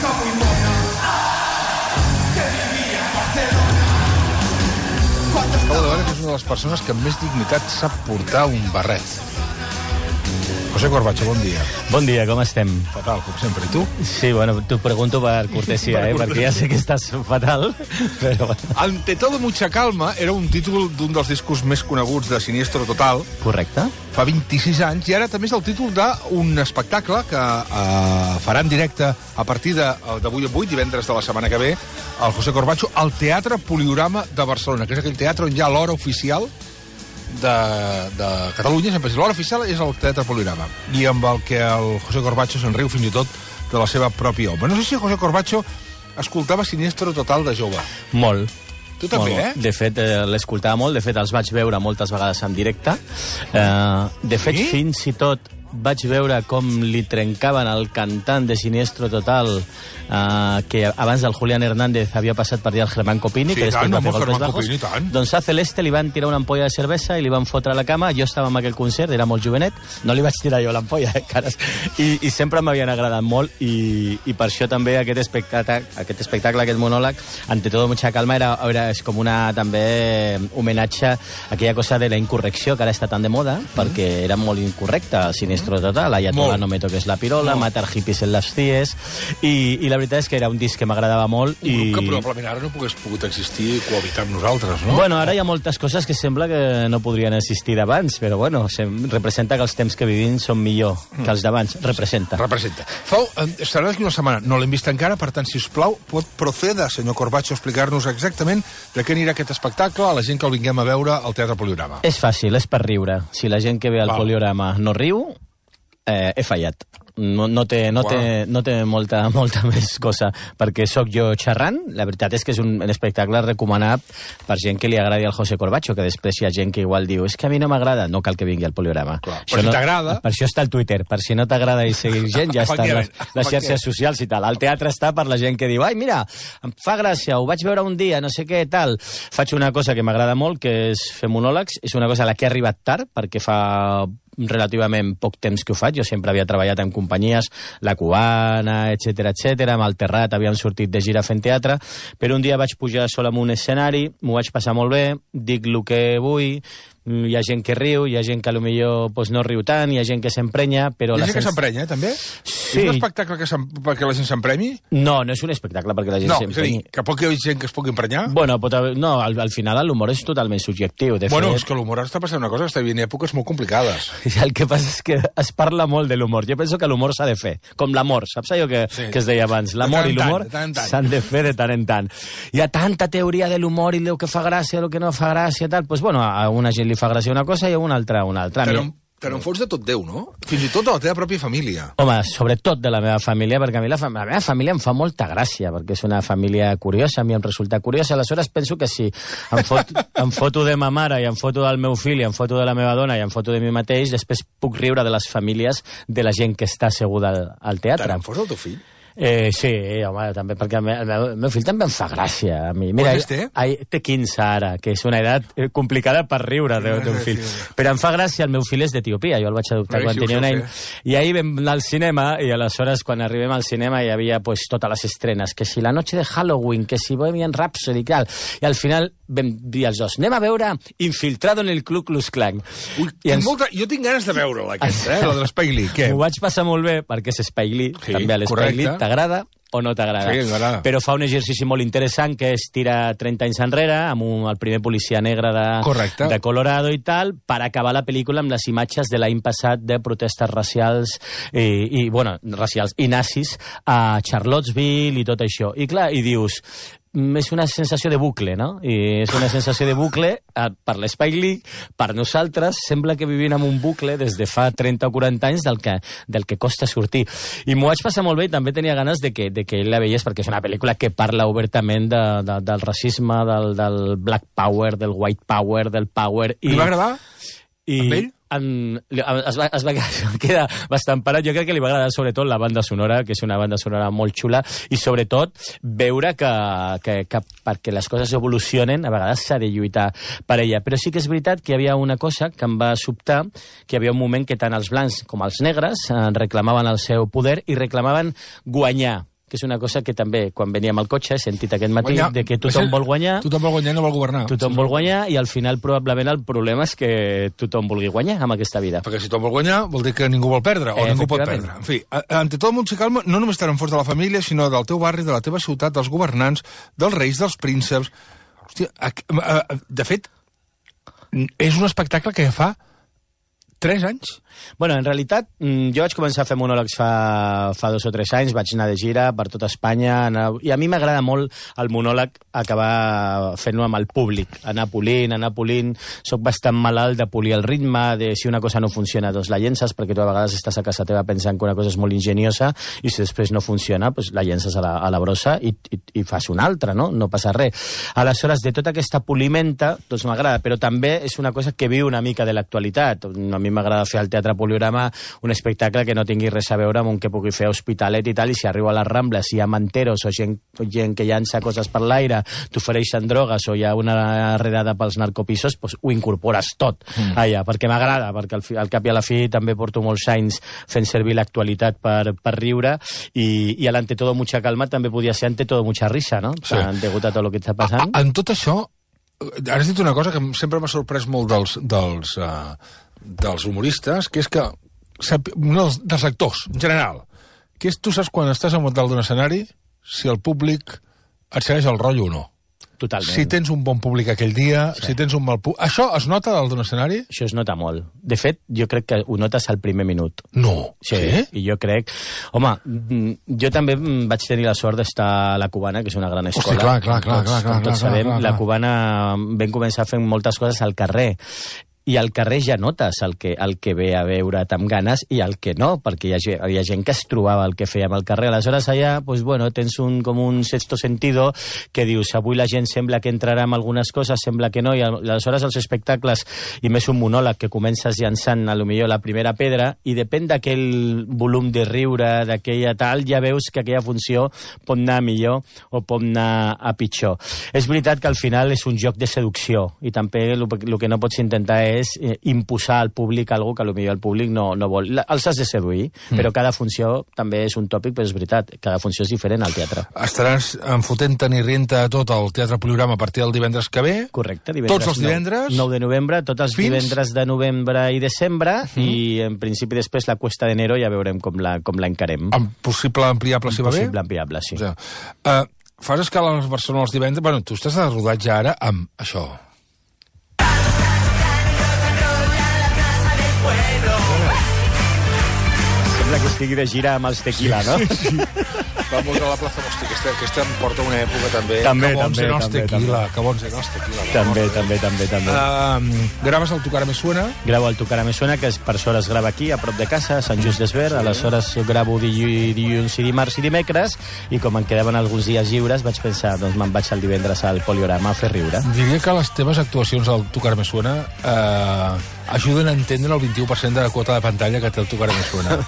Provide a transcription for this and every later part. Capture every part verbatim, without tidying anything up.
Acabo de veure que és una de les persones que amb més dignitat sap portar un barret. José Corbacho, bon dia. Bon dia, com estem? Fatal, com sempre. I tu? Sí, bueno, t'ho pregunto per cortesia, per eh, cortesia. Perquè ja sé que estàs fatal, però... Ante todo mucha calma era un títol d'un dels discos més coneguts de Siniestro Total. Correcte. Fa vint-i-sis anys, i ara també és el títol d'un espectacle que eh, farà en directe a partir d'avui en vuit, divendres de la setmana que ve, el José Corbacho, al Teatre Poliorama de Barcelona, que és aquell teatre on hi ha l'hora oficial de, de Catalunya, sempre l'hora oficial és el Teatre Poliorama, i amb el que el José Corbacho se'n riu fins i tot de la seva pròpia obra. No sé si el José Corbacho escoltava Siniestro Total de jove. Molt. Tu també, molt, eh? De fet, eh, l'escoltava molt, de fet els vaig veure moltes vegades en directe. Eh, de fet, sí? Fins i tot vaig veure com li trencaven el cantant de Siniestro Total, eh, que abans del Julián Hernández havia passat per allà el Germán Copini, sí, que després tant, va fer golpes bajos. Copini, doncs a Celeste li van tirar una ampolla de cervesa i li van fotre a la cama. Jo estava en aquell concert, era molt jovenet, no li vaig tirar jo l'ampolla, eh, cares. I, i sempre m'havien agradat molt, i, i per això també aquest espectacle, aquest espectacle, aquest monòleg, Ante todo mucha calma, era, era és com una també homenatge a aquella cosa de la incorrecció que ara està tan de moda, mm. perquè era molt incorrecta el Siniestro Total, Ayatollah no me toques la pirola, molt. Matar hippies en les cies, i, i la veritat és que era un disc que m'agradava molt. Un grup i... que probablement ara no pogués pogut existir i cohabitar amb nosaltres, no? Bueno, ara hi ha moltes coses que sembla que no podrien existir d'abans, però bueno, representa que els temps que vivim són millor mm. que els d'abans. Representa. Representa. Fau, estarà d'aquí una setmana, no l'hem vist encara, per tant, si us plau, pot proceda, senyor Corbacho, explicar-nos exactament de què anirà aquest espectacle a la gent que el vinguem a veure al Teatre Poliorama. És fàcil, és per riure. Si la gent que ve al Val. Poliorama no riu, Eh, he fallat. No, no, té, no, wow. té, no té molta, molta més cosa, perquè sóc jo xerrant. La veritat és que és un, un espectacle recomanat per gent que li agradi al José Corbacho, que després hi ha gent que igual diu és que a mi no m'agrada, no cal que vingui al Poliorama. Clar, per si no, t'agrada... Per això està el Twitter, per si no t'agrada i seguir gent, ja està les, les xarxes socials i tal. El teatre està per la gent que diu ai, mira, em fa gràcia, ho vaig veure un dia, no sé què, tal. Faig una cosa que m'agrada molt, que és fer monòlegs. És una cosa a la que he arribat tard, perquè fa relativament poc temps que ho faig. Jo sempre havia treballat en companyies, La Cubana, etcètera, etcètera, amb el Terrat havíem sortit de gira fent teatre, però un dia vaig pujar sol en un escenari, m'ho vaig passar molt bé, dic el que vull, hi ha gent que riu, hi ha gent que potser pues, no riu tant, hi ha gent que s'emprenya, però... Hi ha gent sens... que s'emprenya, també? Sí. És un espectacle que perquè la gent s'empremi? No, no és un espectacle perquè la gent no, s'emprenyi. No, és a dir, que pot hi haver gent que es pugui emprenyar? Bueno, pot haver... no, al, al final l'humor és totalment subjectiu. De bueno, fet... és que l'humor està passant una cosa, que està vivint èpoques molt complicades. El que passa és que es parla molt de l'humor. Jo penso que l'humor s'ha de fer, com l'amor, saps allò que, sí. que es deia abans? L'amor i l'humor s'han de fer de tant en tant. Hi ha tanta teoria de l'humor i del que fa gràcia, del que no fa gràcia, tal. Pues, bueno, a una gent li fa gràcia una cosa i a una altra una altra. Però, però en fons de tot Déu, no? Fins i tot de la teva pròpia família. Home, sobretot de la meva família, perquè a mi la, fam la meva família em fa molta gràcia, perquè és una família curiosa, a mi em resulta curiosa. Aleshores penso que si em, fot, em foto de ma mare i em foto del meu fill i em foto de la meva dona i em foto de mi mateix, després puc riure de les famílies de la gent que està asseguda al, al teatre. Tant en fos el teu fill? Eh, sí, home, també, perquè el meu, el meu fill també em fa gràcia a mi. Mira, Quants té? Ai, té quinze ara, que és una edat complicada per riure d'un fill. Però em fa gràcia, el meu fill és d'Etiòpia, jo el vaig adoptar no, quan sí, tenia un any. I ahir vam anar al cinema, i aleshores quan arribem al cinema hi havia pues, totes les estrenes, que si la noche de Halloween, que si Bohemian Rhapsody i tal. I al final vam dir els dos, anem a veure Infiltrado en el Ku Klux Klan. Ui, ens... molta... Jo tinc ganes de veure-la, aquesta, eh? La de l'Spike Lee. Què? M'ho vaig passar molt bé, perquè és Spike Lee, sí, també a l'Spike Lee, t'agrada o no t'agrada? Sí, m'agrada. Però fa un exercici molt interessant, que és tirar trenta anys enrere, amb un, el primer policia negre de, de Colorado i tal, per acabar la pel·lícula amb les imatges de l'any passat de protestes racials i, i, bueno, racials i nazis a Charlottesville i tot això. I clar, i dius... és una sensació de bucle, no? I és una sensació de bucle eh, per l'Spike Lee, per nosaltres, sembla que vivim en un bucle des de fa trenta o quaranta anys del que, del que costa sortir. I m'ho vaig passar molt bé i també tenia ganes de que, de que ell la veiés, perquè és una pel·lícula que parla obertament de, de, del racisme, del, del black power, del white power, del power... I, li va agradar? I, amb ell? En, es, va, es va quedar bastant parat. Jo crec que li va agradar sobretot la banda sonora, que és una banda sonora molt xula, i sobretot veure que, que, que perquè les coses evolucionen a vegades s'ha de lluitar per ella. Però sí que és veritat que hi havia una cosa que em va sobtar, que hi havia un moment que tant els blancs com els negres reclamaven el seu poder i reclamaven guanyar. que és una cosa que també, quan veníem al cotxe, he sentit aquest matí, guanyar. de que tothom vol guanyar... Tothom vol guanyar i no vol governar. Tothom vol guanyar i al final probablement el problema és que tothom vulgui guanyar amb aquesta vida. Perquè si tothom vol guanyar vol dir que ningú vol perdre, o Eh, ningú pot perdre. En fi, ante tot el món se calma, no només estan en fons de la família, sinó del teu barri, de la teva ciutat, dels governants, dels reis, dels prínceps... Hòstia, de fet, és un espectacle que fa tres anys. Bueno, en realitat, jo vaig començar a fer monòlegs fa, fa dos o tres anys, vaig anar de gira per tota Espanya, anar, i a mi m'agrada molt el monòleg acabar fent-ho amb el públic, anar polint, anar polint, soc bastant malalt de polir el ritme, de si una cosa no funciona, doncs la llences, perquè tu a vegades estàs a casa teva pensant que una cosa és molt ingeniosa, i si després no funciona, doncs la llences a la, a la brossa i, i, i fas una altra, no? No passa res. Aleshores, de tota aquesta polimenta, doncs m'agrada, però també és una cosa que viu una mica de l'actualitat. A mi m'agrada fer al Teatre Poliorama un espectacle que no tingui res a veure amb un que pugui fer Hospitalet i tal, i si arribo a les Rambles, si hi ha manteros o gent, gent que llança coses per l'aire, t'ofereixen drogues o hi ha una redada pels narcopisos, doncs ho incorpores tot mm. allà, perquè m'agrada, perquè al, fi, al cap i a la fi també porto molts anys fent servir l'actualitat per, per riure, i, i a l'Ante todo mucha calma també podia ser Ante todo mucha risa, no? Sí. Degut a tot el que està passant. A, a, en tot això, ara has dit una cosa que sempre m'ha sorprès molt dels... dels uh... dels humoristes, que és que no, dels actors, en general, que és, tu saps quan estàs al dalt d'un escenari si el públic et segueix el rotllo o no. Totalment. Si tens un bon públic aquell dia, sí. Si tens un mal públic... Això es nota dalt d'un escenari? Això es nota molt. De fet, jo crec que ho notes al primer minut. No. Sí, sí? I jo crec... Home, jo també vaig tenir la sort d'estar a la Cubana, que és una gran escola. Hosti, clar, clar, clar. Tots, clar, clar, com tots clar, sabem, clar, clar. La Cubana vam començar fent moltes coses al carrer. I al carrer ja notes el que, el que ve a veure't amb ganes i el que no, perquè hi ha, hi ha gent que es trobava el que fèiem al carrer. Aleshores allà, pues, bueno, tens un, com un sexto sentido que dius, avui la gent sembla que entrarà amb algunes coses, sembla que no, i aleshores els espectacles, i més un monòleg que comences llançant a lo millor la primera pedra, i depèn d'aquell volum de riure, d'aquella tal, ja veus que aquella funció pot anar millor o pot anar a pitjor. És veritat que al final és un joc de seducció, i també el, el que no pots intentar és eh, imposar al públic algo que potser el públic no, no vol. La, els has de seduir, mm. però cada funció també és un tòpic, però és veritat, cada funció és diferent al teatre. Estaràs enfotent-te'n i rient-te tot al Teatre Poliorama a partir del divendres que ve? Correcte. Divendres, tots els divendres? nou de novembre, tots els fins? divendres de novembre i desembre, mm. i en principi després la Cuesta d'Enero ja veurem com la, com la encarem. Amb possible ampliable, si va bé? Possible ampliable, sí. O sigui, uh, fas escala a Barcelona els divendres? Bueno, tu estàs de rodatge ara amb això. Que estigui de gira amb els tequila, no? Sí, sí. Va molt a la plaça, hosti, aquesta, aquesta em porta una època també. També, que bons també, eren els també, tequila, també. que bons eren els tequila. També, també, també, també. Uh, graves el Tocar Me Suena? Gravo el Tocar Me Suena, que és per sort es grava aquí, a prop de casa, a Sant Just d'Esvern. Sí. Aleshores gravo dilluns i dimarts i dimecres, i com em quedaven alguns dies lliures, vaig pensar, doncs me'n vaig el divendres al Poliorama a fer riure. Diria que les teves actuacions al Tocar Me Suena eh, ajuden a entendre el vint-i-u per cent de la quota de pantalla que té el Tocar Me Suena.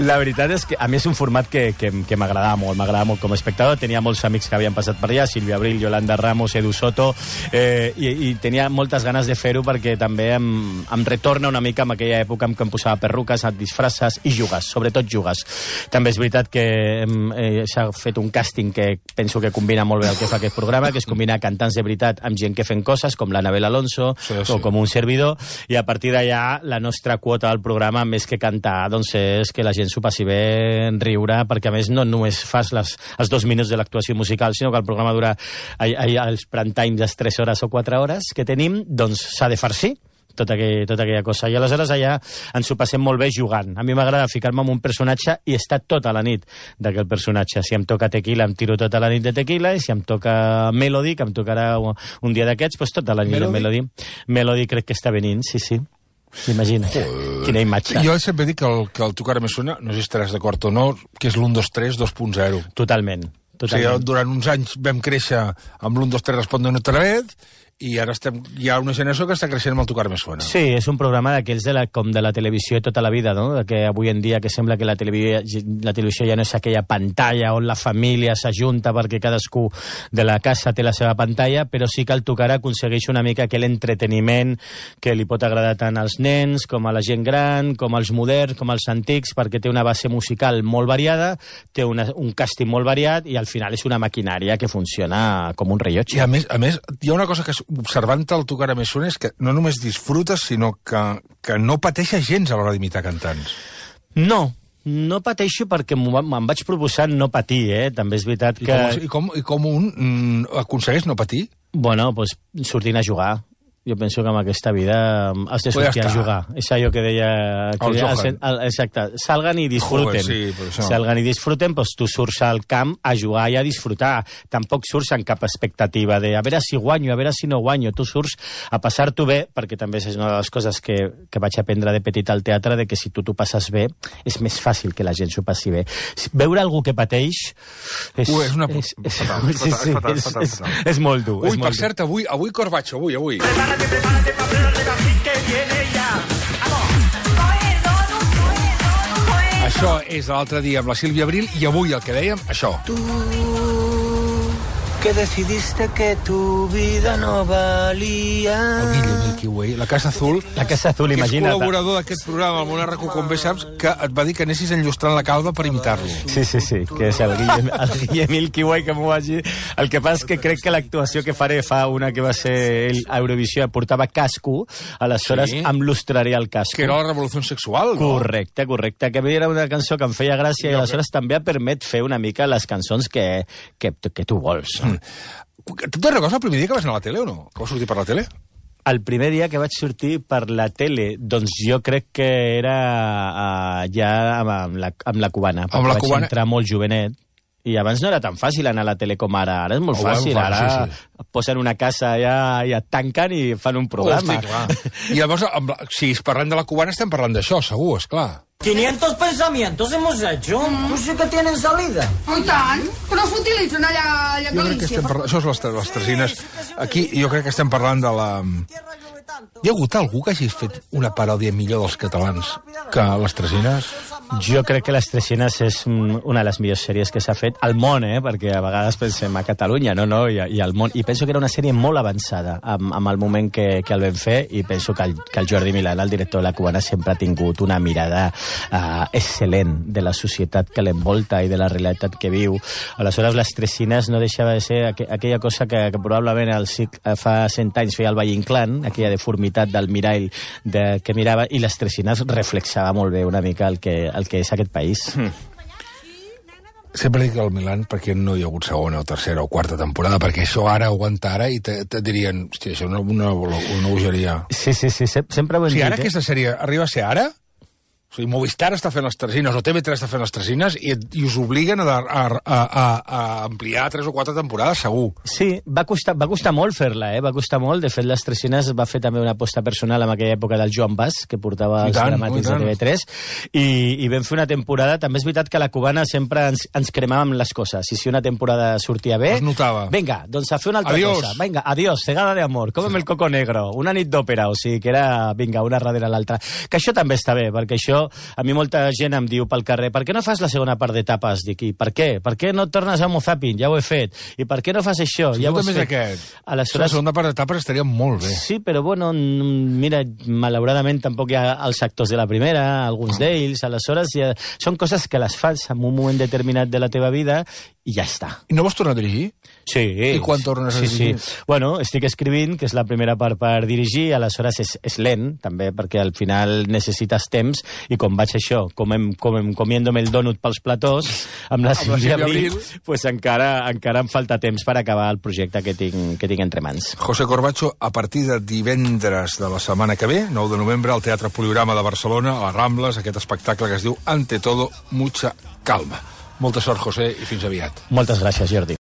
La veritat és que a mi és un format que, que, que m'agradava molt, m'agradava molt com a espectador. Tenia molts amics que havien passat per allà, Sílvia Abril, Yolanda Ramos, Edu Soto, eh, i, i tenia moltes ganes de fer-ho perquè també em, em retorna una mica en aquella època en què em posava perruques, et disfresses i jugues, sobretot jugues. També és veritat que eh, s'ha fet un càsting que penso que combina molt bé el que fa aquest programa, que és combinar cantants de veritat amb gent que fem coses, com l'Anabel Alonso, sí, sí. o com un servidor, i a partir d'allà la nostra quota del programa, més que cantar, doncs és que la gent s'ho passi bé, en riure, perquè a més no només fas les, els dos minuts de l'actuació musical, sinó que el programa dura els prime time de tres hores o quatre hores que tenim, doncs s'ha de farcir tota, aquell, tota aquella cosa. I aleshores allà ens ho passem molt bé jugant. A mi m'agrada ficar-me en un personatge i estar tota la nit d'aquell personatge. Si em toca tequila, em tiro tota la nit de tequila, i si em toca Melody, que em tocarà un dia d'aquests, doncs tota la nit de Melody. Melody crec que està venint, sí, sí. Imagina't, uh, quina imatge. Jo sempre dic que el, que el Tocar Me Suena, no sé si estaràs d'acord o no, que és l'u dos tres dos punt zero. Totalment. Totalment. O sigui, durant uns anys vam créixer amb l'u dos tres Respondo otra vez, i ara estem, hi ha una generació que està creixent amb el Tocar Me Suena. Sí, és un programa d'aquells de la, com de la televisió de tota la vida, no? De que avui en dia que sembla que la televisió, la televisió ja no és aquella pantalla on la família s'ajunta perquè cadascú de la casa té la seva pantalla, però sí que el Tocar aconsegueix una mica aquell entreteniment que li pot agradar tant als nens com a la gent gran, com als moderns, com als antics, perquè té una base musical molt variada, té una, un càsting molt variat i al final és una maquinària que funciona com un rellotge. I a més, a més, hi ha una cosa que observant el Tocar Me Suena és que no només disfrutes, sinó que, que no pateixes gens a l'hora d'imitar cantants. No, no pateixo perquè me'n vaig proposar no patir, eh? També és veritat que... I com, i com, i com un mm, aconsegueix no patir? Bueno, doncs pues, sortint a jugar. Jo penso que en aquesta vida has de sortir a jugar. És allò que deia... Que el deia Johan. el, exacte. Salgan i disfruten. Joder, sí, això... Salgan i disfruten, doncs tu surts al camp a jugar i a disfrutar. Tampoc surts amb cap expectativa de a veure si guanyo, a veure si no guanyo. Tu surts a passar-t'ho bé, perquè també és una de les coses que, que vaig aprendre de petit al teatre, de que si tu t'ho passes bé, és més fàcil que la gent s'ho passi bé. Veure algú que pateix... És, Ui, és una... És, és, fatal, sí, sí, fatal, és, fatal, és, fatal. és, és molt dur. Ui, és per molt dur. cert, avui, avui Corbacho, avui, avui. Prepárate, prepárate, prepárate, así que viene ya. Això és de l'altre dia amb la Sílvia Abril i avui el que dèiem, això. Tú que decidiste que tu vida no valía. El Guille Milky Way, la Casa Azul. La Casa Azul, que imagina't. és col·laborador d'aquest programa, el Monarraco, com bé saps, que et va dir que anessis enllustrant la calva per imitar-lo. Sí, sí, sí, que és el Guille, el Guille Milky Way, que m'ho vagi... El que passa és que crec que l'actuació que faré fa una que va ser el a Eurovisió, portava casco, aleshores Sí. em lustraré el casco. Que era la revolució sexual, no? Correcte, correcte. Que a mi era una cançó que em feia gràcia i aleshores també em permet fer una mica les cançons que, que, que tu vols. Tu te'n recordes el primer dia que vas anar a la tele o no? Que vas sortir per la tele? El primer dia que vaig sortir per la tele, doncs jo crec que era uh, ja amb, amb, la, amb la cubana. Amb la vaig cubana. entrar molt jovenet. I abans no era tan fàcil anar a la tele com ara. Ara és molt Oh, fàcil. bueno, Ara sí, sí. et posen una casa allà i et tanquen i fan un programa. Hosti, clar. I llavors, amb la, si parlem de la cubana, estem parlant d'això, segur, esclar. quinientos pensamientos hemos hecho. Pues sí que tienen salida. Oh, i tant, però s'utilitzen allà, allà a Jo crec que Galícia. estem parlant... Això és les, les tresines. Aquí jo crec que estem parlant de la... Hi ha hagut algú que hagi fet una paròdia millor dels catalans que les tresines? Jo crec que Les Tresines és una de les millors sèries que s'ha fet al món, eh? Perquè a vegades pensem a Catalunya, no, no, i, i al món. I penso que era una sèrie molt avançada amb, amb el moment que, que el vam fer i penso que el, que el Jordi Milà, el director de la Cubana, sempre ha tingut una mirada uh, excel·lent de la societat que l'envolta i de la realitat que viu. Aleshores, Les Tresines no deixava de ser aqu aquella cosa que, que probablement al, fa cent anys feia el Valle Inclán, aquella deformitat del mirall de, que mirava, i Les Tresines reflexava molt bé una mica el que, el que és aquest país. Mm. Sempre dic el Milan perquè no hi ha hagut segona o tercera o quarta temporada, perquè això ara aguanta ara i te, te dirien, hòstia, això és una, una, una bogeria. Sí, sí, sí, sempre ho hem O sigui, ara dit, eh? aquesta sèrie arriba a ser ara? O sigui, Movistar està fent les tresines, o T V tres està fent les tresines, i, i us obliguen a, a, a, a ampliar tres o quatre temporades, segur. Sí, va costar, va costar molt fer-la, eh? Va costar molt. De fet, Les Tresines va fer també una aposta personal en aquella època del Joan Bas, que portava I els tant, dramàtics i de tant. T V tres, i, i vam fer una temporada. També és veritat que a la Cubana sempre ens, ens cremàvem les coses. I si una temporada sortia bé... Es notava. Vinga, doncs a fer una altra Adiós. cosa. Vinga, adiós, cegada de amor, com el coco negro, una nit d'òpera, o sigui que era, vinga, una darrere l'altra. Que això també està bé, perquè això, a mi molta gent em diu pel carrer, per què no fas la segona part d'etapes? Dic, i per què? Per què no tornes a Mozapin? Ja ho he fet. I per què no fas això? Si ja tu ho has també és fet. aquest. Aleshores... La segona part d'etapes estaria molt bé. Sí, però bueno, mira, malauradament tampoc hi ha els actors de la primera, alguns d'ells, aleshores ja... són coses que les fas en un moment determinat de la teva vida i ja està. I no vols tornar a dirigir? Sí. I quan tornes a sí, dirigir? Sí. Bueno, estic escrivint, que és la primera part per dirigir, aleshores és, és lent, també, perquè al final necessites temps, i com vaig això, com em, com em comiéndome el dònut pels platós, amb la Sílvia Abril, pues encara, encara em falta temps per acabar el projecte que tinc, que tinc entre mans. José Corbacho, a partir de divendres de la setmana que ve, nou de novembre, al Teatre Poliorama de Barcelona, a les Rambles, aquest espectacle que es diu Ante todo, mucha calma. Molta sort, José, i fins aviat. Moltes gràcies, Jordi.